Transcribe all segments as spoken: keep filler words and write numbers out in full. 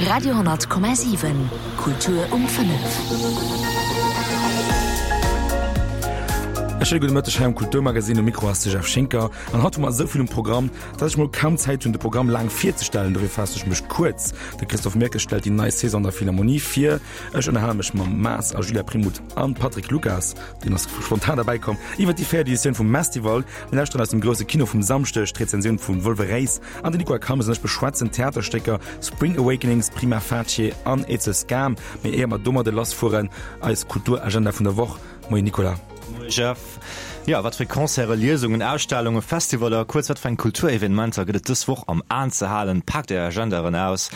Radio honnert Komma siwen, Kultur um fënnef. E schéine gudde Mëtteg hei am Kulturmagazin. Um Mikro ass de Jeff Schinker an haut hu mer esou vill um Programm, dass ech mol kaum Zäit hunn, de Programm laang virzestellen. Dofir faasse ech mech kuerz. De Christophe Mirkes stellt déi nei Saison an der Philharmonie vir. Ech ënnerhale mech mam Maas a Julia Primout an Patrick Lucas, deen ass spontan derbäi komm, iwwer déi véiert Editioun vum Mestival. Mir lauschteren aus dem grousse Kino vum Samschdeg d'Rezensioun vum Wolweréis an den Nicolas Calmes an ech beschwätzen d'Theaterstécker Spring Awakenings, Prima Facie an It's a Scam. Mee éier mer domadde lassfueren, eis Kulturagenda vun der Woch. Moien Nicolas. Moie Jeff. Jo, wat fir Concerten, Liesungen, Ausstellungen, Festivaller, kuerz wat fir eng Kulturevenementer gëtt et dës Woch am Aen ze halen? Paakt är Agendaen aus.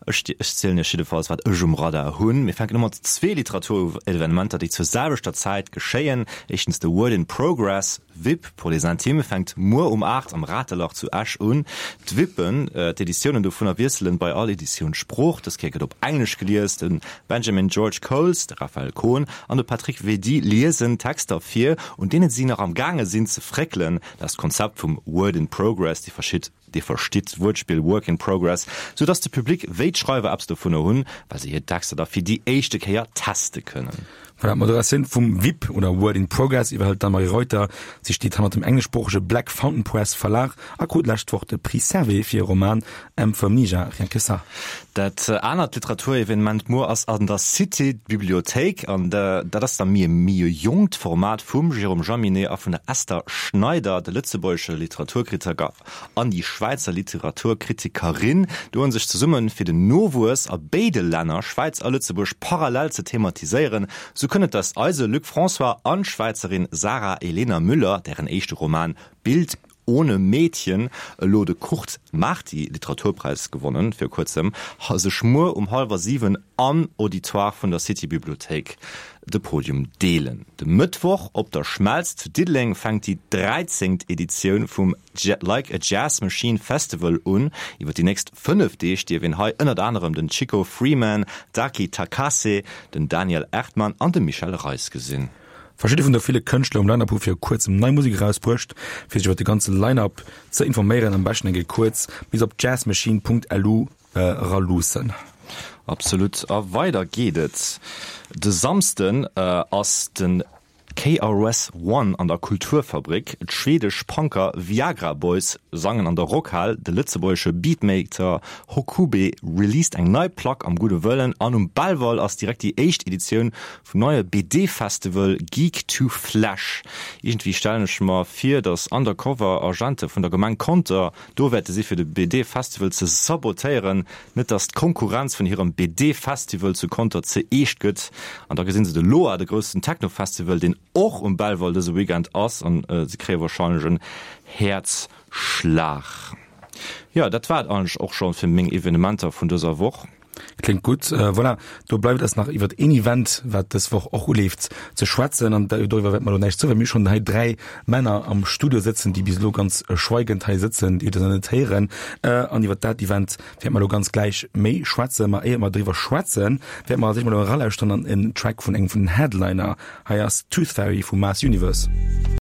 Ech ech zielen iech jiddefalls wat ech um Radar hunn. Mir fänken u mat zwee Literaturevenementer, déi zur selwechter Zäit geschéien. Éischtens de Word in Progress, WIP pour les intimes, fänkt muer um aacht am Ratelach zu Esch un. D'WIPen, d'Editiounen dovunner wiesselen bei all Editioun d'Sprooch. Dës Kéier gëtt op Englesch gelies. De Benjamin George Coles, de Raphaël Kohn an de Patrick Vedi liesen Texter vir, un deene si nach am gaange sinn ze fréckelen. Dat ass d'Konzept vum Word in Progress, Dir verschitt, Dir verstitt d'Wuertspill Work in Progress, sou dass de Public wéi d'Schreiwer eppes dovunner hunn, well se hir Texter da fir déi éischte Kéier teste kënnen. Voilà, d'Moderatioun vum WIP oder Word in Progress iwwerhëlt d'Anne-Marie Reuter. Si steet hannert dem engleschsproochege Black Fountain Press Verlag a krut d'lescht Woch de Prix Servais fir hire Roman M for Amnesia, rien que ça. Dat anert Literaturevenement muer ass an der Cité Bibliothéik an dat ass da méi e méi e jonkt Format vum Jérôme Jaminet a vun der Esther Schneider, de lëtzebuergesche Literaturkritiker an déi Schwäizer Literaturkritikerin doen sech zesummen, fir den Nowuess a béide Länner, Schwäiz a Lëtzebuerg, parallel ze thematiséieren. Sou kënnt et, dass eise Luc François an d'Schwäizerin Sarah Elena Müller, dären éischte Roman Bild ohne Mädchen elo de Kurt Marti Literaturpräis gewonnen vir kuerzem, sech muer um hallwer siwen am Auditoire vun der City Bibliothéik de Podium deelen. De Mëttwoch op der Schmelz zu Diddeleng fänkt déi dräizéngt Editioun vum Like a Jazz Machine Festival un. Iwwer déi nächst fënnef Deeg dierf een hei ënnert anerem den Chico Freeman, d'Aki Takase, den Daniel Erdmann an de Michel Reis gesinn. Verschidde vun de ville Kënschtler um Line-Up hu viru kuerzem nei Musek erausbruecht. Fir sech iwwer de ganze Line-Up ze informéieren, am beschten eng Kéier kuerz bis op jazzmachine.lu eraluussen. Absolut. A weider geet et. De Samsden ass de K R S One an der Kulturfabrik. D'schwedesch Punker Viagra Boys sangen an der Rockhal, de lëtzebuergesche Beatmaker Hokube released eng nei Plack am Gudde Wëllen an um Belval ass direkt déi éischt Editioun vum neie B D Festival Geek to Flash. Iergendwéi stellen ech mer vir, datt Undercover Agente vun der Gemeng Conter do wäerte si fir de B D Festival ze sabotéieren, net datt d'Konkurrenz vun hirem B D Festival zu Conter ze eescht gëtt. An da gesinn se de Loa, de groussen Techno Festival, deen och um Belval dëse Weekend ass, an se kréie warscheinlech en Häerzschlag. Jo, dat war et eigentlech och scho fir meng Evenementer vun dëser Woch. Kléngt gutt. Voilà, do bleift eis nach iwwert een Event, wat dës Woch och uleeft, ze schwätzen. An doriwwer wäerte mer elo näischt soen, well mir hu schonn hei dräi Männer am Studio sëtzen, déi bis elo ganz schweigend hei sëtzen. Déi hutt Der nach net héieren. An iwwert dat Event wäerte mer elo ganz gläich méi schwätzen. Ma éier mer driwwer schwätzen, wäerte mer als éischt mol elo eralauschteren an en Track vun engem vun den Headliner. Hei ass Tooth Fairy vu Mass Universe.